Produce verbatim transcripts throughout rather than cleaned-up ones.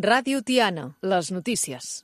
Ràdio Tiana, les notícies.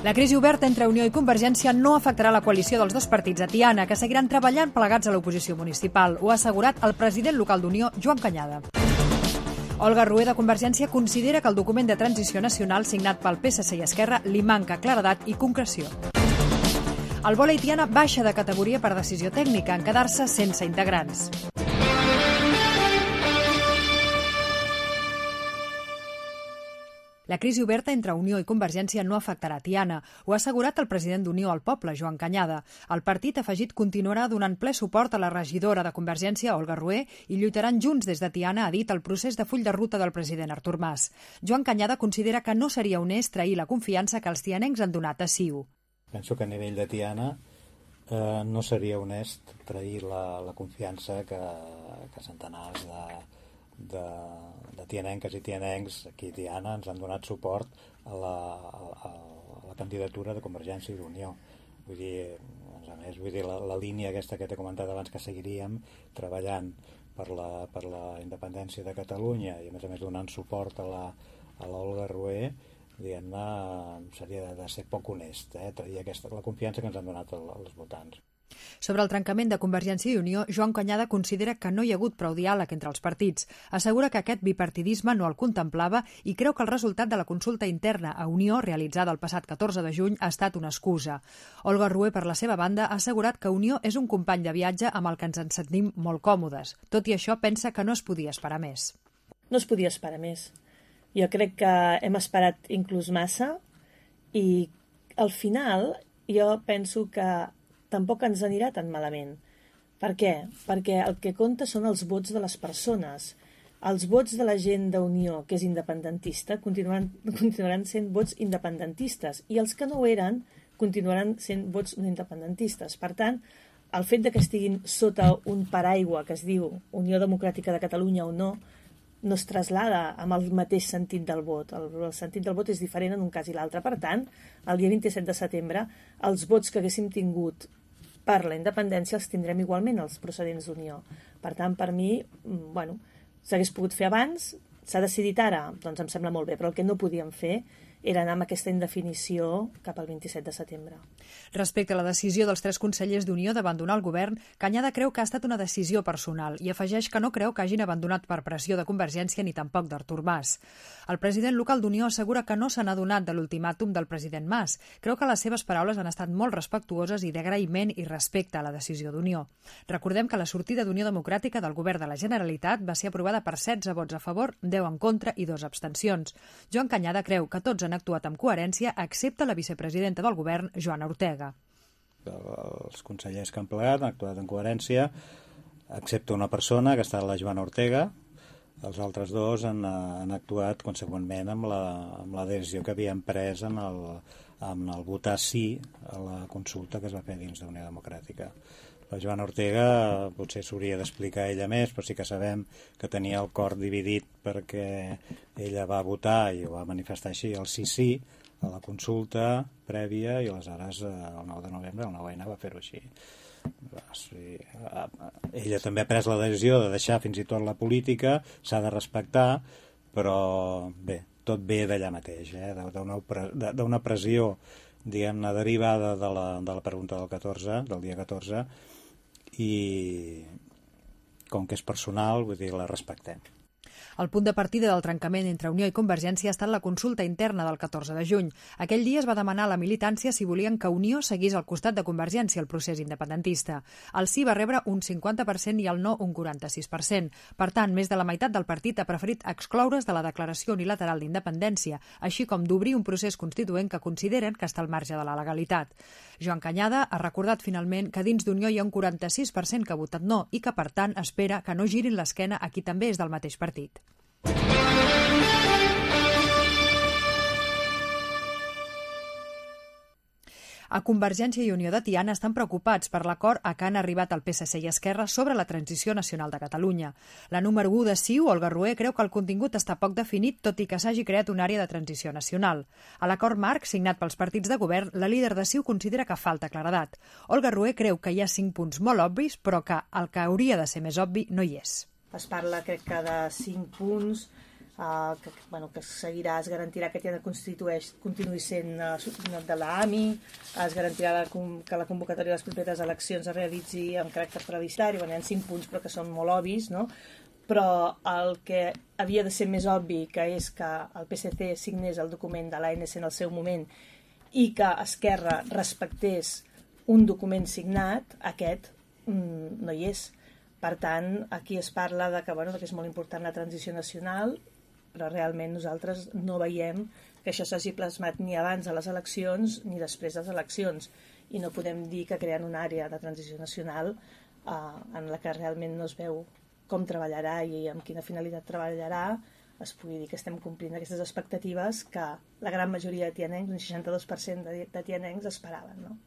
La crisi oberta entre Unió i Convergència no afectarà la coalició dels dos partits a Tiana, que seguiran treballant plegats a l'oposició municipal. Ho ha assegurat el president local d'Unió, Joan Cañada. Olga Rué, de Convergència, considera que el document de transició nacional signat pel P S C i Esquerra li manca claredat i concreció. El vòlei Tiana baixa de categoria per decisió tècnica, en quedar-se sense integrants. La crisi oberta entre Unió i Convergència no afectarà Tiana. Ho ha assegurat el president d'Unió al Poble, Joan Cañada. El partit afegit continuarà donant ple suport a la regidora de Convergència, Olga Rué, i lluitaran junts des de Tiana, ha dit, el procés de full de ruta del president Artur Mas. Joan Cañada considera que no seria honest trair la confiança que els tianencs han donat a C I U. Penso que a nivell de Tiana eh, no seria honest trair la, la confiança que, que centenars de... de, de tianenques i tianencs aquí a Tiana ens han donat suport a la, a, a la candidatura de Convergència i d'Unió. Vull dir, a més, vull dir la, la línia aquesta que t'he comentat abans, que seguiríem treballant per la, per la independència de Catalunya i a més a més donant suport a la, a l'Olga Rué, diguem-ne, seria de, de ser poc honest, eh? Trair aquesta, la confiança que ens han donat el, els votants. Sobre el trencament de Convergència i Unió, Joan Cañada considera que no hi ha hagut prou diàleg entre els partits. Assegura que aquest bipartidisme no el contemplava i creu que el resultat de la consulta interna a Unió, realitzada el passat catorze de juny, ha estat una excusa. Olga Rué, per la seva banda, ha assegurat que Unió és un company de viatge amb el que ens en sentim molt còmodes. Tot i això, pensa que no es podia esperar més. No es podia esperar més. Jo crec que hem esperat inclús massa i al final jo penso que tampoc ens anirà tan malament. Per què? Perquè el que compta són els vots de les persones. Els vots de la gent d'Unió, que és independentista, continuaran, continuaran sent vots independentistes i els que no ho eren continuaran sent vots no independentistes. Per tant, el fet de que estiguin sota un paraigua que es diu Unió Democràtica de Catalunya o no, no es traslada amb el mateix sentit del vot. El, el sentit del vot és diferent en un cas i l'altre. Per tant, el dia vint-i-set de setembre, els vots que haguéssim tingut per la independència els tindrem igualment els procedents d'Unió. Per tant, per mi, bueno, s'hagués pogut fer abans, s'ha decidit ara, doncs em sembla molt bé, però el que no podíem fer era anar amb aquesta indefinició cap al vint-i-set de setembre. Respecte a la decisió dels tres consellers d'Unió d'abandonar el govern, Cañada creu que ha estat una decisió personal i afegeix que no creu que hagin abandonat per pressió de Convergència ni tampoc d'Artur Mas. El president local d'Unió assegura que no se n'ha donat de l'ultimàtum del president Mas. Creu que les seves paraules han estat molt respectuoses i d'agraïment i respecte a la decisió d'Unió. Recordem que la sortida d'Unió Democràtica del govern de la Generalitat va ser aprovada per setze vots a favor, deu en contra i dos abstencions. Joan Cañada creu que tots han actuat amb coherència, excepte la vicepresidenta del govern, Joana Ortega. Els consellers que han plegat han actuat en coherència, excepte una persona, que ha estat la Joana Ortega. Els altres dos han, han actuat conseqüentment amb la, amb la decisió que havien pres en el, en el votar sí a la consulta que es va fer dins d'Unió Democràtica. La Joana Ortega potser s'hauria d'explicar ella més, però sí que sabem que tenia el cor dividit perquè ella va votar i ho va manifestar així el sí-sí a la consulta prèvia i aleshores el nou de novembre el nou ene va fer-ho així. Ella també ha pres la decisió de deixar fins i tot la política, s'ha de respectar, però bé, tot ve d'allà mateix, eh? d'una pressió diguem-ne derivada de la, de la pregunta del catorze, del dia catorze, i com que és personal, vull dir, la respectem. El punt de partida del trencament entre Unió i Convergència ha estat la consulta interna del catorze de juny. Aquell dia es va demanar a la militància si volien que Unió seguís al costat de Convergència el procés independentista. El sí va rebre un cinquanta per cent i el no un quaranta-sis per cent. Per tant, més de la meitat del partit ha preferit excloure's de la declaració unilateral d'independència, així com d'obrir un procés constituent que consideren que està al marge de la legalitat. Joan Cañada ha recordat finalment que dins d'Unió hi ha un quaranta-sis per cent que ha votat no i que, per tant, espera que no girin l'esquena a qui també és del mateix partit. A Convergència i Unió de Tiana estan preocupats per l'acord a què han arribat el P S C i Esquerra sobre la transició nacional de Catalunya. La número u de C I U, Olga Rué, creu que el contingut està poc definit, tot i que s'hagi creat una àrea de transició nacional. A l'acord marc, signat pels partits de govern, la líder de C I U considera que falta claredat. Olga Rué creu que hi ha cinc punts molt obvis, però que el que hauria de ser més obvi no hi és. Es parla, crec que, de cinc punts Uh, que, bueno, que seguirà, es garantirà que Tiana constitueix, continuï sent uh, de l'A M I, es garantirà la, que la convocatòria de les properes eleccions es realitzi amb caràcter plebiscitari. Bueno, hi ha cinc punts però que són molt obvis, no? Però el que havia de ser més obvi, que és que el P S C signés el document de l'A N C en el seu moment i que Esquerra respectés un document signat, aquest mm, no hi és. Per tant, aquí es parla de que, bueno, que és molt important la transició nacional, però realment nosaltres no veiem que això s'hagi plasmat ni abans de les eleccions ni després de les eleccions, i no podem dir que creen una àrea de transició nacional eh, en la que realment no es veu com treballarà i amb quina finalitat treballarà, es pugui dir que estem complint aquestes expectatives que la gran majoria de tianencs, un seixanta-dos per cent de, de tianencs, esperaven, no?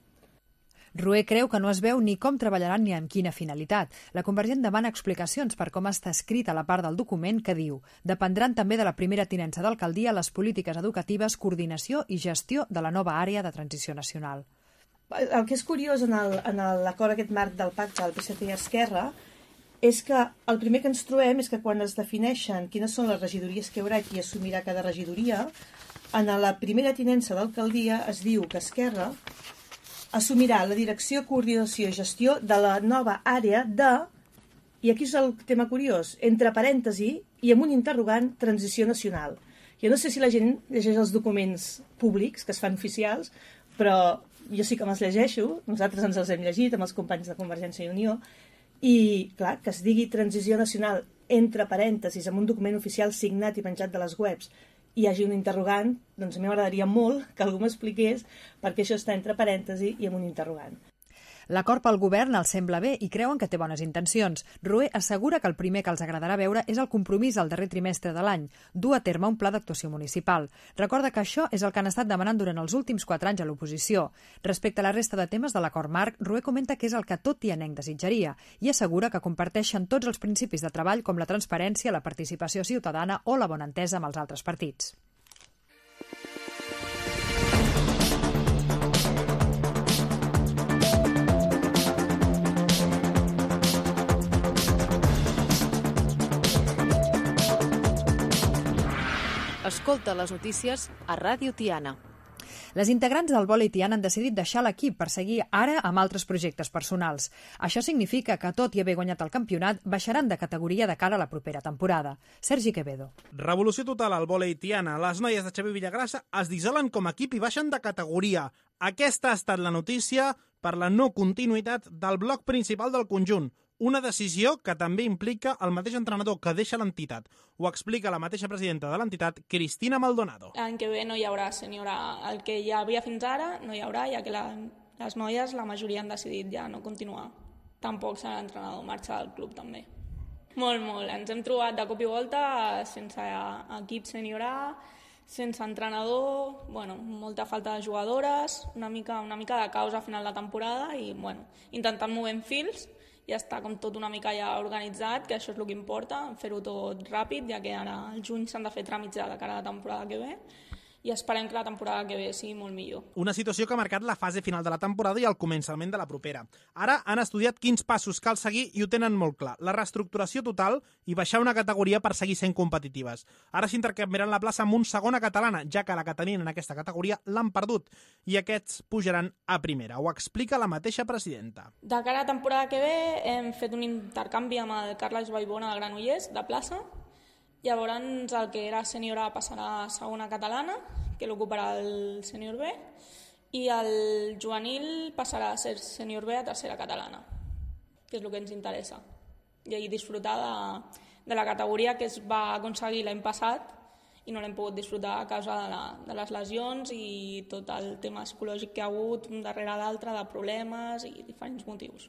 Rué creu que no es veu ni com treballaran ni amb quina finalitat. La Convergent demana explicacions per com està escrita la part del document que diu dependran també de la primera tinença d'alcaldia les polítiques educatives, coordinació i gestió de la nova àrea de transició nacional. El que és curiós en l'acord aquest marc del pacte del P S C i Esquerra és que el primer que ens trobem és que quan es defineixen quines són les regidories que hi haurà i qui assumirà cada regidoria, en la primera tinença d'alcaldia es diu que Esquerra assumirà la direcció, coordinació i gestió de la nova àrea de, i aquí és el tema curiós, entre parèntesi i amb un interrogant, transició nacional. Jo no sé si la gent llegeix els documents públics que es fan oficials, però jo sí que me'ls llegeixo, nosaltres ens els hem llegit amb els companys de Convergència i Unió, i clar, que es digui transició nacional entre parèntesis amb un document oficial signat i penjat de les webs hi hagi un interrogant, doncs a mi m'agradaria molt que algú m'expliqués per què això està entre parèntesi i amb un interrogant. L'acord pel govern els sembla bé i creuen que té bones intencions. Rué assegura que el primer que els agradarà veure és el compromís al darrer trimestre de l'any, dur a terme un pla d'actuació municipal. Recorda que això és el que han estat demanant durant els últims quatre anys a l'oposició. Respecte a la resta de temes de l'acord marc, Rué comenta que és el que tot tianenc desitjaria i assegura que comparteixen tots els principis de treball com la transparència, la participació ciutadana o la bona entesa amb els altres partits. Escolta les notícies a Ràdio Tiana. Les integrants del vòlei Tiana han decidit deixar l'equip per seguir ara amb altres projectes personals. Això significa que, tot i haver guanyat el campionat, baixaran de categoria de cara a la propera temporada. Sergi Quevedo. Revolució total al vòlei Tiana. Les noies de Xavier Villagrassa es dissolen com a equip i baixen de categoria. Aquesta ha estat la notícia per la no continuïtat del bloc principal del conjunt. Una decisió que també implica el mateix entrenador que deixa l'entitat. Ho explica la mateixa presidenta de l'entitat, Cristina Maldonado. L'any que ve no hi haurà senyora. El que hi havia fins ara no hi haurà, ja que la, les noies, la majoria han decidit ja no continuar. Tampoc serà l'entrenador, marxa del club també. Molt, molt. Ens hem trobat de cop i volta sense equip senior A, sense entrenador, bueno, molta falta de jugadores, una mica, una mica de caos a final de temporada i bueno, intentant movent fils. Ja està com tot una mica ja organitzat, que això és el que importa, fer-ho tot ràpid, ja que ara al juny s'han de fer tràmits de cara a la temporada que ve, i esperem que la temporada que ve sigui molt millor. Una situació que ha marcat la fase final de la temporada i el començament de la propera. Ara han estudiat quins passos cal seguir i ho tenen molt clar. La reestructuració total i baixar una categoria per seguir sent competitives. Ara s'intercanviaran la plaça amb un segona catalana, ja que la que tenien en aquesta categoria l'han perdut, i aquests pujaran a primera. Ho explica la mateixa presidenta. De cara a la temporada que ve hem fet un intercanvi amb el Carles Vallbona de Granollers, de plaça. Llavors el que era sènior A passarà a segona catalana, que l'ocuparà el sènior B, i el juvenil passarà a ser sènior B a tercera catalana, que és el que ens interessa. I ahir disfrutar de, de la categoria que es va aconseguir l'any passat i no l'hem pogut disfrutar a causa de, la, de les lesions i tot el tema psicològic que ha hagut un darrere l'altre, de problemes i diferents motius.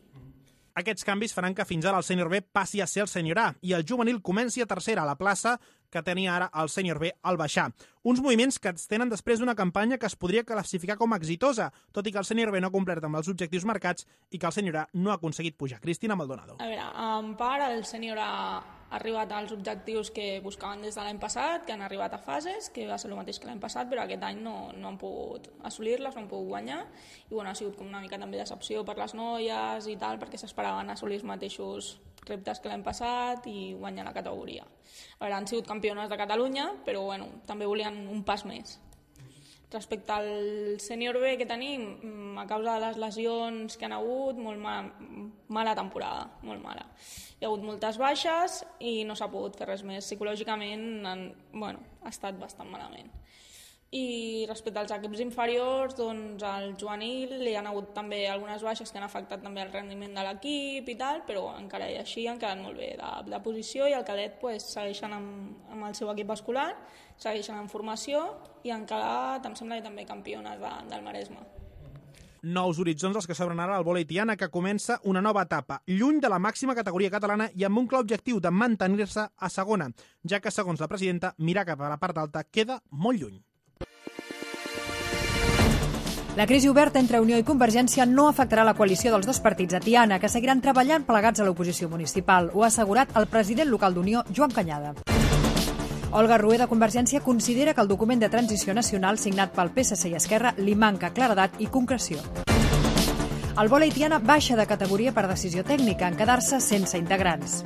Aquests canvis faran que fins ara el sènior B passi a ser el sènior A i el juvenil comenci a tercera a la plaça que tenia ara el sènior B al baixar. Uns moviments que es tenen després d'una campanya que es podria classificar com a exitosa, tot i que el sènior B no ha complert amb els objectius marcats i que el sènior A no ha aconseguit pujar. Cristina Maldonado. A veure, en part el sènior A arribat als objectius que buscaven des de l'any passat, que han arribat a fases, que va ser el mateix que l'any passat, però aquest any no, no han pogut assolir-les, no han pogut guanyar, i bueno, ha sigut com una mica també decepció per les noies i tal, perquè s'esperaven assolir els mateixos reptes que l'any passat i guanyar la categoria. A veure, han sigut campiones de Catalunya, però bueno, també volien un pas més. Respecte al sènior B que tenim, a causa de les lesions que han hagut, molt mal, mala temporada, molt mala. Hi ha hagut moltes baixes i no s'ha pogut fer res més. Psicològicament han, bueno, ha estat bastant malament. I respecte als equips inferiors, doncs al juvenil hi ha hagut també algunes baixes que han afectat també el rendiment de l'equip i tal, però encara i així han quedat molt bé de, de posició i el cadet pues, segueixen amb, amb el seu equip escolar, segueixen en formació i han quedat, em sembla, també campiones de, del Maresme. Nous horitzons els que s'obren ara al vòlei Tiana, que comença una nova etapa, lluny de la màxima categoria catalana i amb un clar objectiu de mantenir-se a segona, ja que, segons la presidenta, mirar cap a la part alta queda molt lluny. La crisi oberta entre Unió i Convergència no afectarà la coalició dels dos partits a Tiana, que seguiran treballant plegats a l'oposició municipal. Ho ha assegurat el president local d'Unió, Joan Canyada. Olga Rué, de Convergència, considera que el document de transició nacional signat pel P S C i Esquerra li manca claredat i concreció. El vòlei Tiana baixa de categoria per decisió tècnica, en quedar-se sense integrants.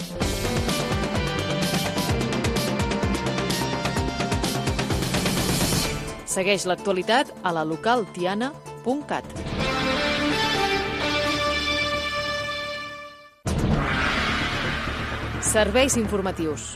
Segueix l'actualitat a la local tiana punt cat. Serveis informatius.